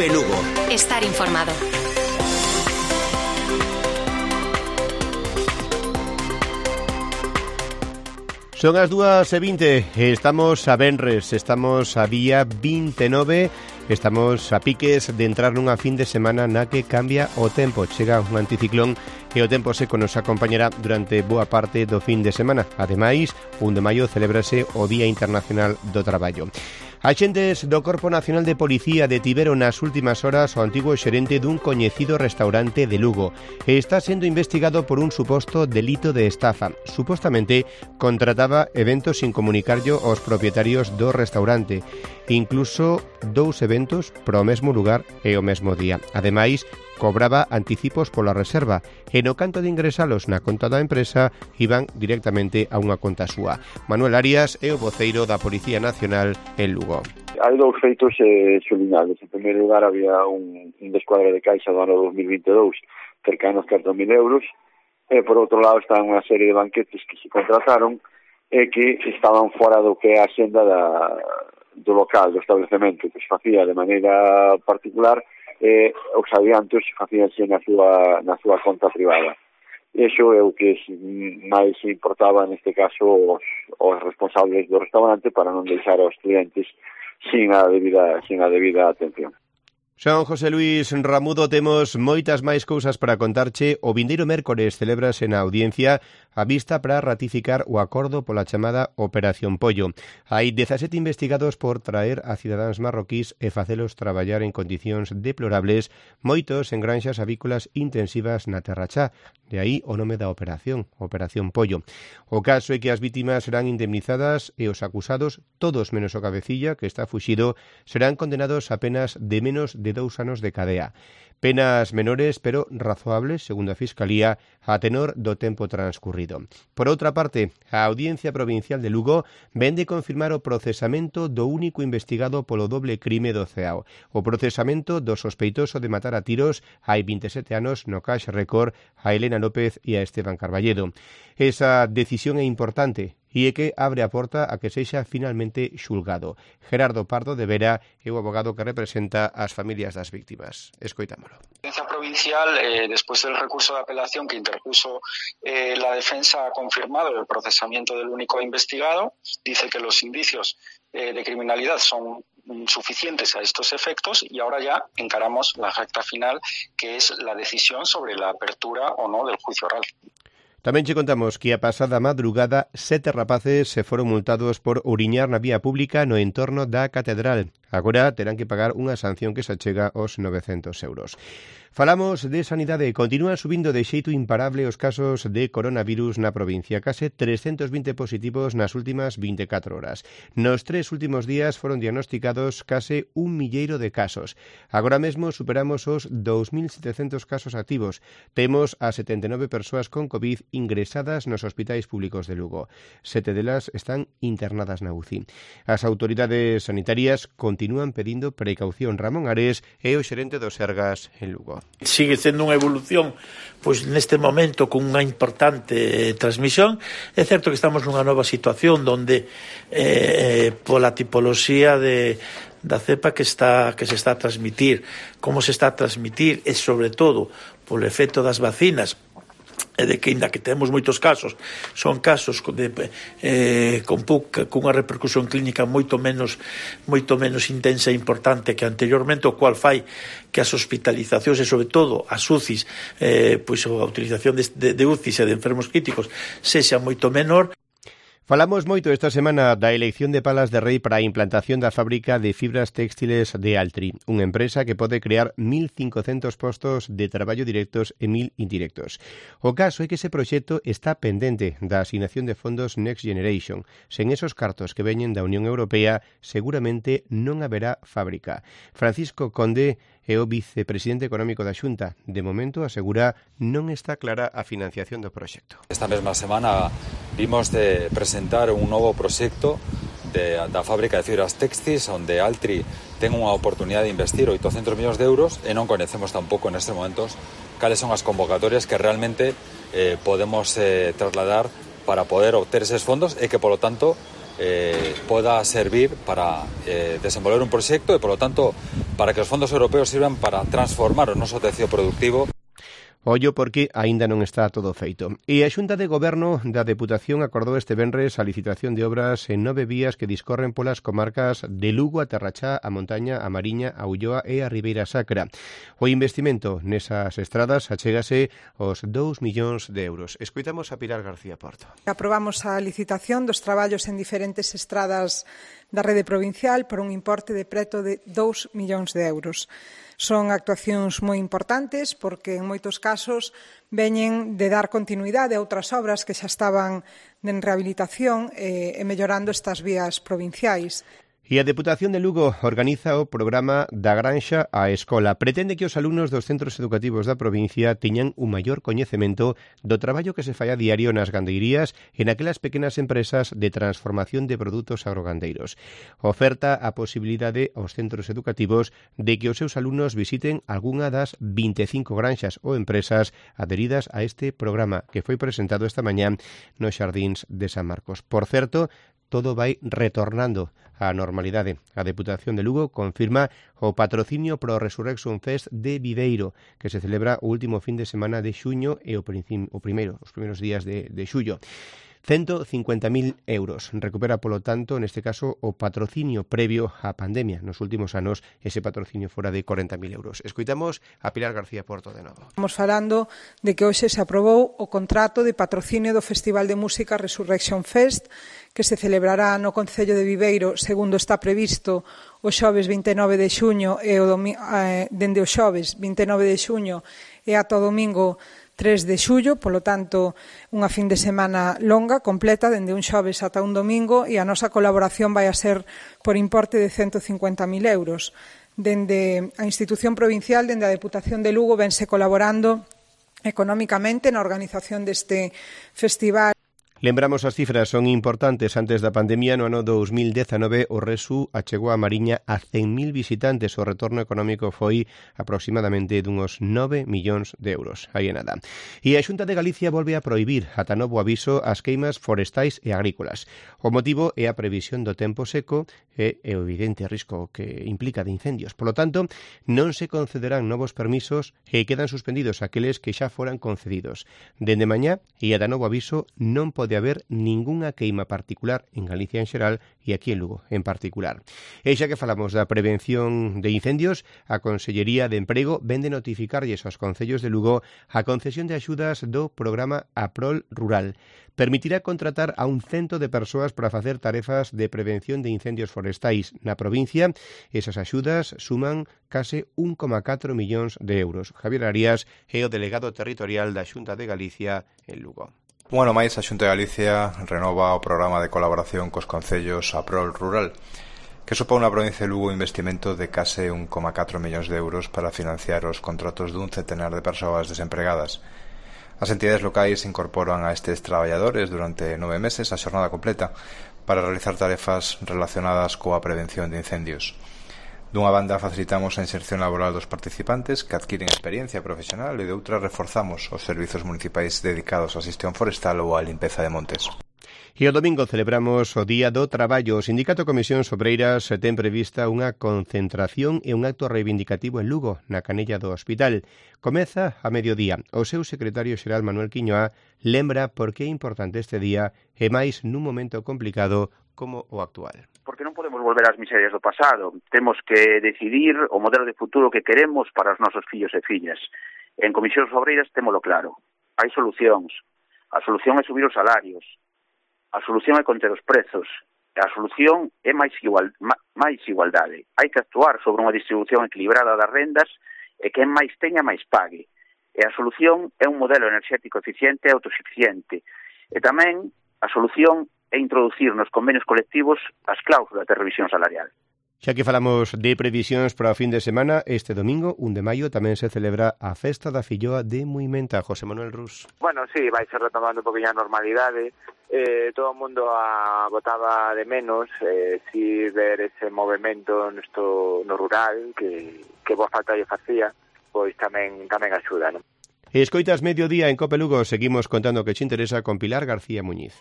Cope Lugo. Estar informado. Son as 2:20, estamos a venres, estamos a día 29, estamos a piques de entrar nunha fin de semana na que cambia o tempo. Chega un anticiclón e o tempo seco nos acompañará durante boa parte do fin de semana. Ademais, 1 de maio celébrase o Día Internacional do Traballo. Axentes do Corpo Nacional de Policía detiveron nas últimas horas o antigo xerente dun coñecido restaurante de Lugo. Está sendo investigado por un suposto delito de estafa. Supostamente contrataba eventos sin comunicarllo aos propietarios do restaurante. Incluso 2 eventos pro mesmo lugar e o mesmo día. Ademais, cobraba anticipos pola reserva e no canto de ingresalos na conta da empresa iban directamente a unha conta súa. Manuel Arias é o voceiro da Policía Nacional en Lugo. Hai 2 feitos xuliñados. En primeiro lugar, había un descuadre de caixa do ano 2022 cercano aos 4.000 euros e, por outro lado, estaban unha serie de banquetes que se contrataron e que estaban fora do que é a xenda do local, do establecemento, que se facía de maneira particular os adiantos facíanse na súa conta privada. Iso é o que máis importaba neste caso os responsables do restaurante para non deixar aos clientes sin a debida atención. Son José Luis Ramudo, temos moitas máis cousas para contarche. O vindeiro mércores celébrase na audiencia a vista para ratificar o acordo pola chamada Operación Pollo. Hai 17 investigados por traer a cidadáns marroquís e facelos traballar en condicións deplorables, moitos en granxas avícolas intensivas na Terra Chá. De aí o nome da operación, Operación Pollo. O caso é que as vítimas serán indemnizadas e os acusados, todos menos o cabecilla, que está fuxido, serán condenados a penas de menos de 2 anos de cadea. Penas menores, pero razoables, segundo a Fiscalía, a tenor do tempo transcurrido. Por outra parte, a Audiencia Provincial de Lugo vén de confirmar o procesamento do único investigado polo doble crime do Ceao. O procesamento do sospeitoso de matar a tiros hai 27 anos no Cash Record a Elena López e a Esteban Carballedo. Esa decisión é importante e é que abre a porta a que sexa finalmente xulgado. Gerardo Pardo de Vera é o abogado que representa as familias das víctimas. Escoitámolo. La Audiencia Provincial, después del recurso de apelación que interpuso la defensa, ha confirmado el procesamiento del único investigado. Dice que los indicios de criminalidad son suficientes a estos efectos y ahora ya encaramos la recta final, que es la decisión sobre la apertura o no del juicio oral. Tamén che contamos que a pasada madrugada 7 rapaces se foron multados por uriñar na vía pública no entorno da catedral. Agora terán que pagar unha sanción que se achega aos 900 euros. Falamos de sanidade. Continúan subindo de xeito imparable os casos de coronavirus na provincia. Case 320 positivos nas últimas 24 horas. Nos 3 últimos días foron diagnosticados case 1.000.000 de casos. Agora mesmo superamos os 2.700 casos activos. Temos a 79 persoas con COVID ingresadas nos hospitais públicos de Lugo. 7 delas están internadas na UCI. As autoridades sanitarias continúan pedindo precaución. Ramón Ares é o xerente do Sergas en Lugo. Sigue sendo unha evolución pois neste momento con unha importante transmisión. É certo que estamos nunha nova situación onde pola tipoloxía da cepa que se está a transmitir, como se está a transmitir e sobre todo polo efecto das vacinas, e de que, ainda que temos moitos casos, son casos con unha repercusión clínica moito menos intensa e importante que anteriormente, o cual fai que as hospitalizacións e sobre todo as UCIs, pois a utilización de UCIs e de enfermos críticos sexa moito menor. Falamos moito esta semana da elección de Palas de Rei para a implantación da fábrica de fibras textiles de Altri, unha empresa que pode crear 1.500 postos de traballo directos e 1.000 indirectos. O caso é que ese proxecto está pendente da asignación de fondos Next Generation. Sen esos cartos que veñen da Unión Europea, seguramente non haberá fábrica. Francisco Conde é o vicepresidente económico da Xunta. De momento, asegura, non está clara a financiación do proxecto. Esta mesma semana vimos de presentar un novo proxecto da fábrica de fibras textis, onde Altri ten unha oportunidade de investir 800 millóns de euros e non conhecemos tampouco nestes momentos cales son as convocatorias que realmente podemos trasladar para poder obter eses fondos e que, polo tanto, pueda servir para desenvolver un proyecto y, por lo tanto, para que los fondos europeos sirvan para transformar o noso tejido productivo. Ollo porque aínda non está todo feito. E a Xunta de Goberno da Deputación acordou este venres a licitación de obras en 9 vías que discorren polas comarcas de Lugo, a Terrachá, a Montaña, a Mariña, a Ulloa e a Ribeira Sacra. O investimento nesas estradas achégase aos 2 millóns de euros. Escoitamos a Pilar García Porto. Aprobamos a licitación dos traballos en diferentes estradas da rede provincial por un importe de preto de 2 millóns de euros. Son actuacións moi importantes porque en moitos casos veñen de dar continuidade a outras obras que xa estaban en rehabilitación e mellorando estas vías provinciais. E a Deputación de Lugo organiza o programa da Granxa á Escola. Pretende que os alumnos dos centros educativos da provincia teñan un maior coñecemento do traballo que se fai a diario nas gandeirías e naquelas pequenas empresas de transformación de produtos agrogandeiros. Oferta a posibilidade aos centros educativos de que os seus alumnos visiten algunha das 25 granxas ou empresas adheridas a este programa que foi presentado esta mañá nos Xardíns de San Marcos. Por certo, todo vai retornando á normalidade. A Deputación de Lugo confirma o patrocinio pro Resurrection Fest de Viveiro, que se celebra o último fin de semana de xuño e os primeiros días de xullo. 150.000 euros. Recupera, polo tanto, neste caso, o patrocinio previo á pandemia. Nos últimos anos, ese patrocinio fora de 40.000 euros. Escoitamos a Pilar García Porto de novo. Estamos falando de que hoxe se aprobou o contrato de patrocinio do Festival de Música Resurrection Fest, que se celebrará no Concello de Viveiro, segundo está previsto, o xoves 29 de xuño e dende o xoves 29 de xuño e ata o domingo 3 de xullo, polo tanto, unha fin de semana longa, completa, dende un xoves ata un domingo, e a nosa colaboración vai a ser por importe de 150.000 euros. Dende a institución provincial, dende a Deputación de Lugo, vense colaborando económicamente na organización deste festival. Lembramos as cifras, son importantes. Antes da pandemia, no ano 2019, o Resu achegou a Mariña a 100.000 visitantes. O retorno económico foi aproximadamente dunhos 9 millóns de euros. Aí é nada. E a Xunta de Galicia volve a prohibir, ata novo aviso, as queimas forestais e agrícolas. O motivo é a previsión do tempo seco e o evidente risco que implica de incendios. Polo tanto, non se concederán novos permisos e quedan suspendidos aqueles que xa foran concedidos. Dende mañá e ata novo aviso non pode haber ningunha queima particular en Galicia en xeral e aquí en Lugo en particular. E xa que falamos da prevención de incendios, a Consellería de Emprego vende notificarlles aos concellos de Lugo a concesión de axudas do programa APROL Rural. Permitirá contratar a 100 de persoas para facer tarefas de prevención de incendios forestais na provincia. Esas axudas suman case 1,4 millóns de euros. Javier Arias é o delegado territorial da Xunta de Galicia en Lugo. Un ano máis, a Xunta de Galicia renova o programa de colaboración cos concellos APROL Rural, que supón na provincia de Lugo un investimento de case 1,4 millóns de euros para financiar os contratos dun centenar de persoas desempregadas. As entidades locais incorporan a estes traballadores durante 9 meses a xornada completa para realizar tarefas relacionadas coa prevención de incendios. Dunha banda facilitamos a inserción laboral dos participantes que adquiren experiencia profesional e de outra reforzamos os servizos municipais dedicados á xestión forestal ou á limpeza de montes. E o domingo celebramos o Día do Traballo. O Sindicato Comisións Obreiras ten prevista unha concentración e un acto reivindicativo en Lugo, na canella do hospital. Comeza a mediodía. O seu secretario xeral Manuel Quiñoa lembra por que é importante este día e máis nun momento complicado como o actual. Porque non podemos volver ás miserias do pasado. Temos que decidir o modelo de futuro que queremos para os nosos fillos e fillas. En Comisións Obreiras témolo claro. Hai solucións. A solución é subir os salarios. A solución é conter os prezos. A solución é máis igualdade. Hai que actuar sobre unha distribución equilibrada das rendas e quen máis teña máis pague. E a solución é un modelo enerxético eficiente e autosuficiente. E tamén a solución é introducir nos convenios colectivos as cláusulas de revisión salarial. Xa que falamos de previsións para o fin de semana, este domingo, 1 de maio, tamén se celebra a Festa da Filloa de Muimenta. José Manuel Rus. Bueno, sí, vai ser retomando un poquinho a normalidade. Todo o mundo botaba de menos si ver ese movimento no rural que boa falta lle facía, pois tamén axuda, non? Escoitas Mediodía en Cope Lugo. Seguimos contando que che interesa con Pilar García Muñiz.